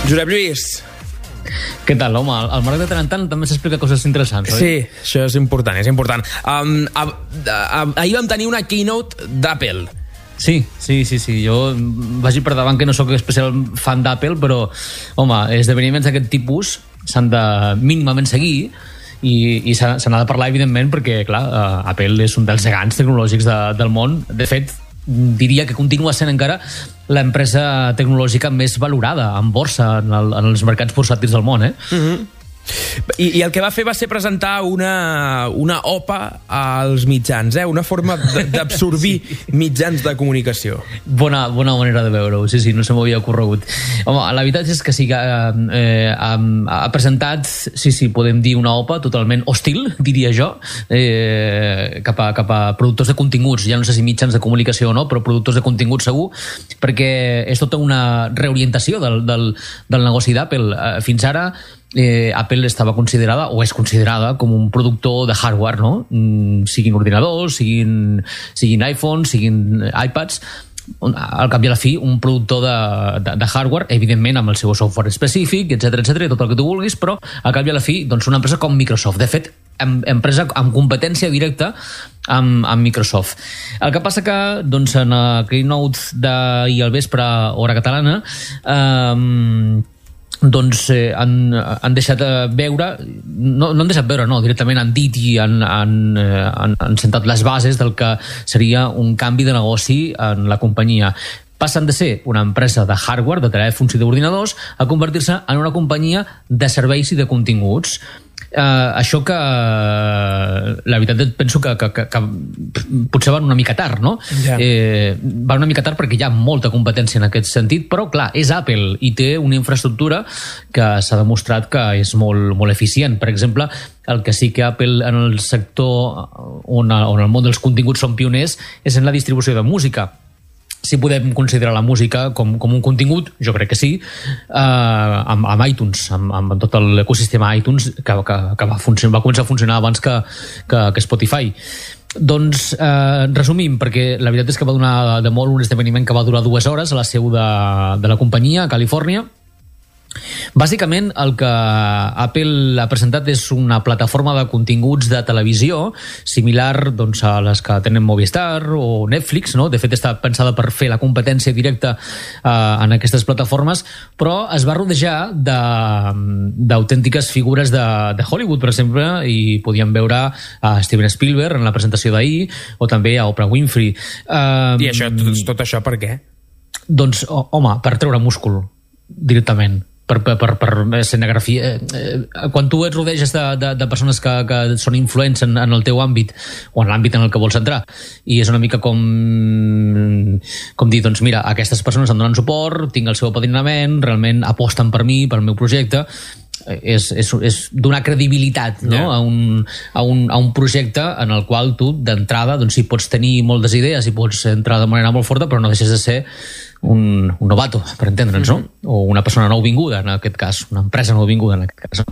Josep Lluís. Què tal, home? El Marc de tant en tant també s'explica coses interessants, oi? Sí, això és important, és important. Ahir vam tenir una keynote d'Apple. Sí. Jo vagi per davant que no sóc especial fan d'Apple, però, home, esdeveniments d'aquest tipus s'han de mínimament seguir i se n'ha de parlar, evidentment, perquè, clar, Apple és un dels gegants tecnològics del món. De fet, diria que continua sent encara l'empresa tecnològica més valorada en borsa, en els mercats bursàtils del món, I el que va fer va ser presentar una OPA als mitjans, una forma d'absorbir mitjans de comunicació. Bona manera de veure-ho, sí, no se m'havia ocorregut. Home, la veritat és que sí que ha presentat, podem dir una OPA totalment hostil, diria jo, cap a productors de continguts, ja no sé si mitjans de comunicació o no, però productors de continguts segur, perquè és tota una reorientació del negoci d'Apple. Fins ara Apple estava considerada o és considerada com un productor de hardware, no? Siguin ordinadors, siguin iPhones, siguin iPads, al cap i a la fi un productor de hardware, evidentment amb el seu software específic, etc, tot el que tu vulguis, però al cap i a la fi una empresa com Microsoft. De fet, empresa amb competència directa amb Microsoft. El que passa que en la keynote d'ahir al vespre, hora catalana, han deixat veure, no han deixat veure, no, directament han dit i han sentat les bases del que seria un canvi de negoci en la companyia. Passen de ser una empresa de hardware, de telèfons i d'ordinadors, a convertir-se en una companyia de serveis i de continguts. Això que la veritat penso que potser van una mica tard, no? Van una mica tard perquè hi ha molta competència en aquest sentit, però clar, és Apple i té una infraestructura que s'ha demostrat que és molt, molt eficient. Per exemple, el que sí que Apple en el sector on el món dels continguts són pioners és en la distribució de música. Si podem considerar la música com un contingut, jo crec que sí, amb iTunes, amb tot l'ecosistema iTunes que va començar a funcionar abans que Spotify. Doncs resumim, perquè la veritat és que va donar de molt un esdeveniment que va durar 2 hores a la seu de la companyia a Califòrnia. Bàsicament el que Apple ha presentat és una plataforma de continguts de televisió similar a les que tenen Movistar o Netflix, no? De fet està pensada per fer la competència directa en aquestes plataformes, però es va rodejar d'autèntiques figures de Hollywood, per exemple, i podíem veure a Steven Spielberg en la presentació d'ahir o també a Oprah Winfrey. I tot això per què? Doncs, home, per treure múscul directament, per escenografia. Quan tu et rodeges de persones que són influents en el teu àmbit o en l'àmbit en el que vols entrar, i és una mica com dir, doncs mira, aquestes persones em donen suport, tinc el seu apadrinament, realment aposten per mi, pel meu projecte, és donar credibilitat, no? a un projecte en el qual tu d'entrada sí pots tenir moltes idees i pots entrar de manera molt forta, però no deixes de ser un novato, per entendre'ns, no? O una persona nouvinguda, en aquest cas, una empresa nouvinguda, en aquest cas.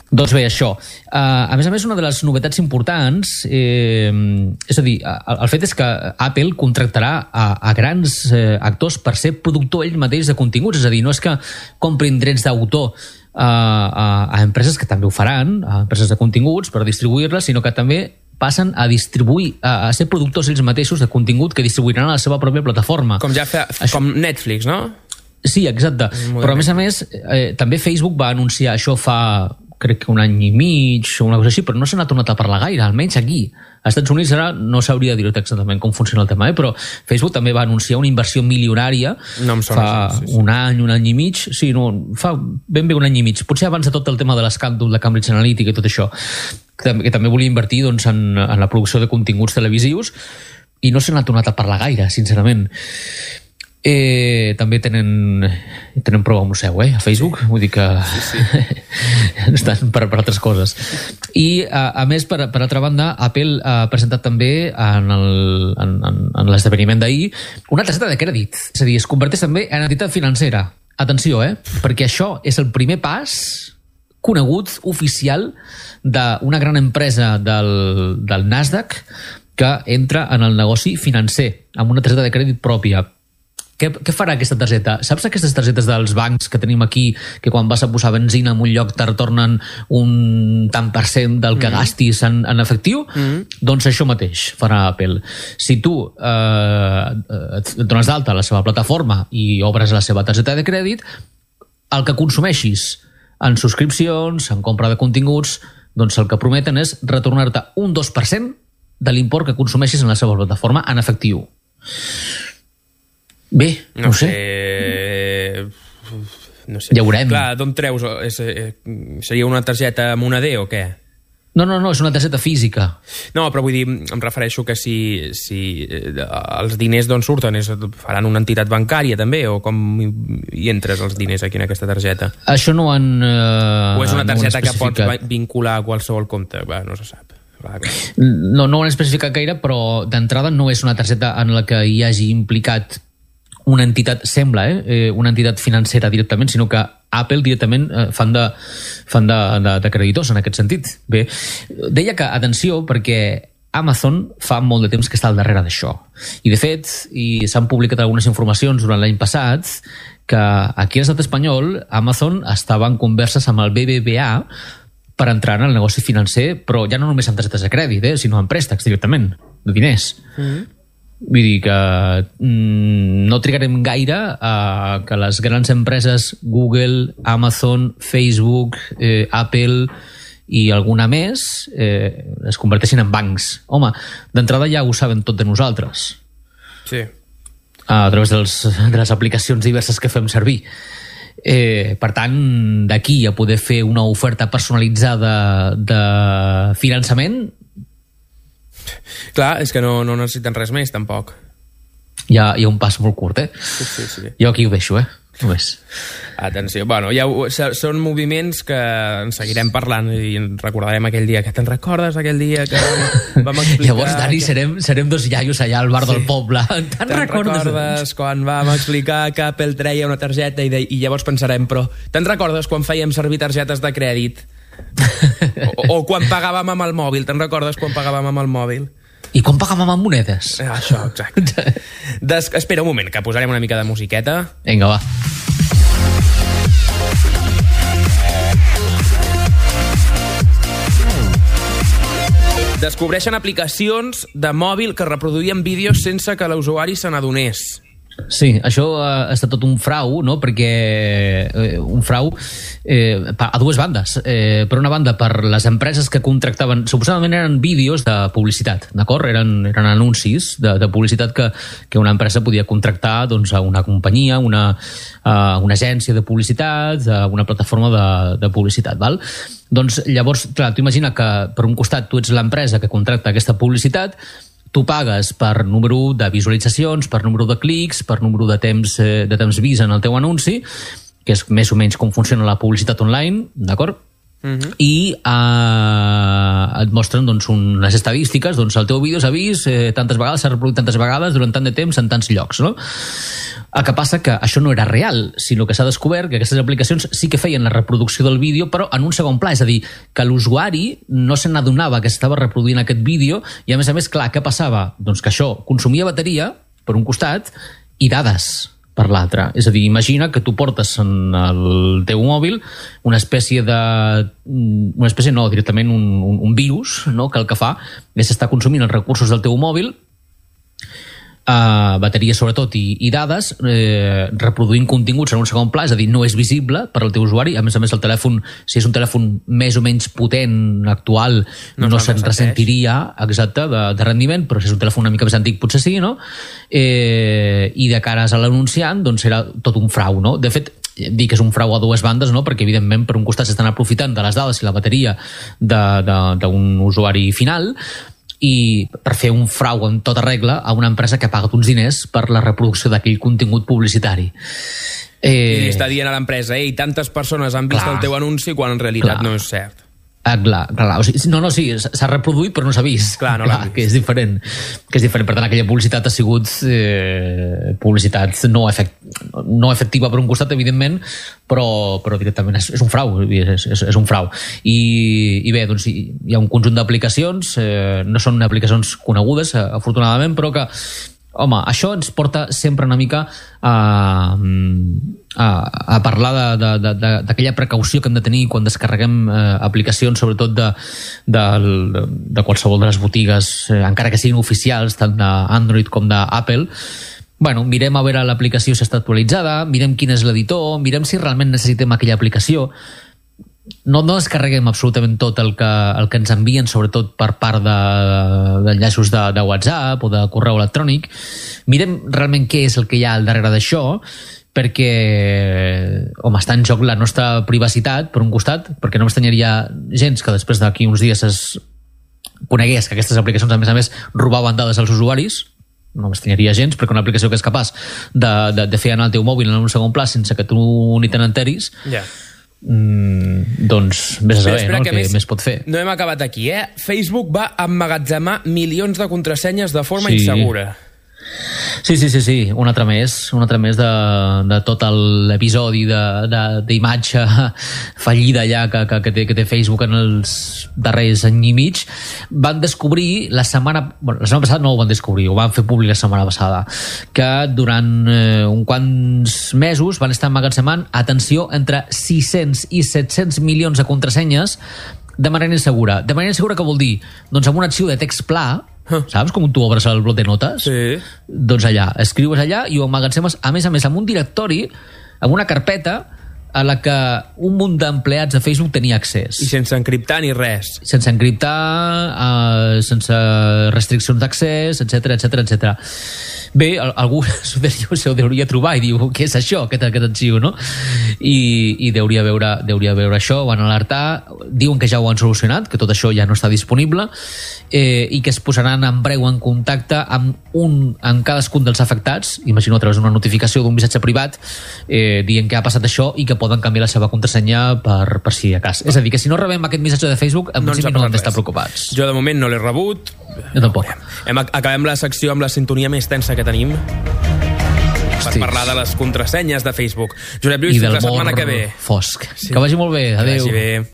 Doncs bé, això. A més, una de les novetats importants, és a dir, el fet és que Apple contractarà a grans actors per ser productor ell mateix de continguts, és a dir, no és que comprin drets d'autor a empreses que també ho faran, a empreses de continguts per distribuir-les, sinó que també passen a distribuir, a ser productors ells mateixos de contingut que distribuiran a la seva pròpia plataforma. Com Netflix, no? Sí, exacte. Però a més, també Facebook va anunciar això fa, crec que 1 any i mig o una cosa així, però no se n'ha tornat a parlar gaire, almenys aquí. Als Estats Units ara no s'hauria de dir exactament com funciona el tema, però Facebook també va anunciar una inversió milionària fa un any i mig, fa ben bé 1 any i mig, potser abans de tot el tema de l'escàndol de Cambridge Analytica i tot això, que també volia invertir en la producció de continguts televisius, i no se n'ha tornat a parlar gaire, sincerament. També tenen prou al museu, a Facebook, vull dir que estan per altres coses. I a més, per altra banda, Apple ha presentat també en l'esdeveniment d'ahir una targeta de crèdit, és a dir, es converteix també en entitat financera. Atenció, perquè això és el primer pas conegut, oficial, d'una gran empresa del Nasdaq que entra en el negoci financer amb una targeta de crèdit pròpia. què farà aquesta targeta? Saps aquestes targetes dels bancs que tenim aquí, que quan vas a posar benzina en un lloc te retornen un tant per cent del que gastis en efectiu? Doncs això mateix farà Apple. Si tu et dones d'alta a la seva plataforma i obres la seva targeta de crèdit, el que consumeixis en subscripcions, en compra de continguts, doncs el que prometen és retornar-te un 2% de l'import que consumeixis en la seva plataforma en efectiu. Bé, no sé. No sé. Ja veurem. Clar, d'on treus? Seria una targeta moneder o què? No, és una targeta física. No, però vull dir, em refereixo que si els diners d'on surten faran una entitat bancària també, o com hi entres els diners aquí en aquesta targeta? Això no han o és una targeta que pots vincular a qualsevol compte? Va, no se sap. No ho han especificat gaire, però d'entrada no és una targeta en la que hi hagi implicat una entitat, sembla, una entitat financera directament, sinó que Apple directament fan de creditors en aquest sentit. Bé, deia que, atenció, perquè Amazon fa molt de temps que està al darrere d'això. I, de fet, s'han publicat algunes informacions durant l'any passat que aquí a l'estat espanyol Amazon estava en converses amb el BBVA per entrar en el negoci financer, però ja no només amb targetes de crèdit, sinó amb préstecs directament, de diners. Vull dir que no trigarem gaire a que les grans empreses Google, Amazon, Facebook, Apple i alguna més es converteixin en bancs. Home, d'entrada ja ho saben tot de nosaltres. Sí. A través de les aplicacions diverses que fem servir. Per tant, d'aquí a poder fer una oferta personalitzada de finançament, clar, és que no necessiten res més, tampoc. Hi ha un pas molt curt, Sí. Jo aquí ho deixo, només. Atenció, bueno, són moviments que en seguirem parlant i en recordarem aquell dia. Que te'n recordes aquell dia que vam explicar... Llavors, Dani, serem dos iaios allà al bar del poble. Te'n recordes quan vam explicar que Apple treia una targeta i llavors pensarem, però te'n recordes quan fèiem servir targetes de crèdit? O quan pagàvem amb el mòbil. Te'n recordes quan pagàvem amb el mòbil? I quan pagàvem amb monedes? Això, exacte. Espera un moment, que posarem una mica de musiqueta. Vinga, va. Descobreixen aplicacions de mòbil que reproduïen vídeos sense que l'usuari se n'adonés. Sí, això ha estat tot un frau, no? Perquè un frau a dues bandes. Per una banda, per les empreses que contractaven, suposadament eren vídeos de publicitat, d'acord? Eren anuncis de publicitat que una empresa podia contractar doncs, a una companyia, una agència de publicitat, a una plataforma de publicitat, val? Doncs llavors, clar, tu imagina que per un costat tu ets l'empresa que contracta aquesta publicitat, tu pagues per número de visualitzacions, per número de clics, per número de temps vist en el teu anunci, que és més o menys com funciona la publicitat online, d'acord? I et mostren doncs, unes estadístiques, doncs el teu vídeo s'ha vist tantes vegades, s'ha reproduït tantes vegades durant tant de temps en tants llocs, no? El que passa que això no era real, sinó que s'ha descobert que aquestes aplicacions sí que feien la reproducció del vídeo, però en un segon pla, és a dir, que l'usuari no se n'adonava que s'estava reproduint aquest vídeo i, a més, clar, què passava? Doncs que això consumia bateria, per un costat, i dades per l'altre. És a dir, imagina que tu portes en el teu mòbil una espècie directament un virus, no? Que el que fa és estar consumint els recursos del teu mòbil, bateria sobretot i dades, reproduint continguts en un segon pla, és a dir, no és visible per al teu usuari. A més, el telèfon, si és un telèfon més o menys potent, actual, no se'n ressentiria exacte de rendiment, però si és un telèfon una mica més antic potser sí, no? I de cares a l'anunciant, doncs era tot un frau, no? De fet, dic que és un frau a dues bandes, no? Perquè evidentment per un costat s'estan aprofitant de les dades i la bateria d'un usuari final, i per fer un frau en tota regla a una empresa que ha pagat uns diners per la reproducció d'aquell contingut publicitari. I està dient a l'empresa, tantes persones han vist el teu anunci quan en realitat no és cert. Clar. O sigui, sí, s'ha reproduït però no s'ha vist. Clar, que és diferent. Per tant, aquella publicitat ha sigut publicitat no efectiva per un costat, evidentment, però directament és un frau. És un frau. I bé, doncs hi ha un conjunt d'aplicacions, no són aplicacions conegudes, afortunadament, però que home, això ens porta sempre una mica a parlar d'aquella precaució que hem de tenir quan descarreguem aplicacions, sobretot de qualsevol de les botigues, encara que siguin oficials, tant d'Android com d'Apple. Bueno, mirem a veure l'aplicació si està actualitzada, mirem quin és l'editor, mirem si realment necessitem aquella aplicació. No descarreguem absolutament tot el que ens envien, sobretot per part d'enllaços de WhatsApp o de correu electrònic. Mirem realment què és el que hi ha al darrere d'això, perquè, home, està en joc la nostra privacitat, per un costat, perquè no m'estranyaria gens que després d'aquí uns dies es conegués que aquestes aplicacions, a més, robaven dades als usuaris. No m'estranyaria gens, perquè una aplicació que és capaç de fer anar el teu mòbil en un segon pla sense que tu ni te n'enteris, doncs vés a saber, no? El que més pot fer. No hem acabat aquí, Facebook va emmagatzemar milions de contrasenyes de forma insegura. Sí, un altre més de tot l'episodi d'imatge fallida ja que té Facebook en els darrers any i mig. Van descobrir la setmana passada, no ho van descobrir, ho van fer públic la setmana passada, que durant uns quants mesos van estar emmagatzemant, atenció, entre 600 i 700 milions de contrasenyes de manera insegura. De manera insegura què vol dir? Doncs amb un arxiu de text pla, saps? Com tu obres el bloc de notes? Sí. Doncs allà, escrius allà i ho emmagatzemes, a més, amb un directori, amb una carpeta a la que un munt d'empleats de Facebook tenia accés. I sense encriptar ni res. Sense encriptar, sense restriccions d'accés, etc. Bé, algú s'ho deuria trobar i diu, què és això, aquest arxiu, no? I deuria veure això, van alertar, diuen que ja ho han solucionat, que tot això ja no està disponible, i que es posaran en breu en contacte amb cadascun dels afectats, imagino a través d'una notificació d'un missatge privat, dient que ha passat això i que poden canviar la seva contrasenya per si de cas. És a dir, que si no rebem aquest missatge de Facebook, en principi no hem d'estar preocupats. Jo de moment no l'he rebut. Jo tampoc. Acabem la secció amb la sintonia més tensa que tenim per parlar de les contrasenyes de Facebook. Josep Lluís, fins la setmana que ve. Fosc. Que vagi molt bé. Adéu. Que vagi bé.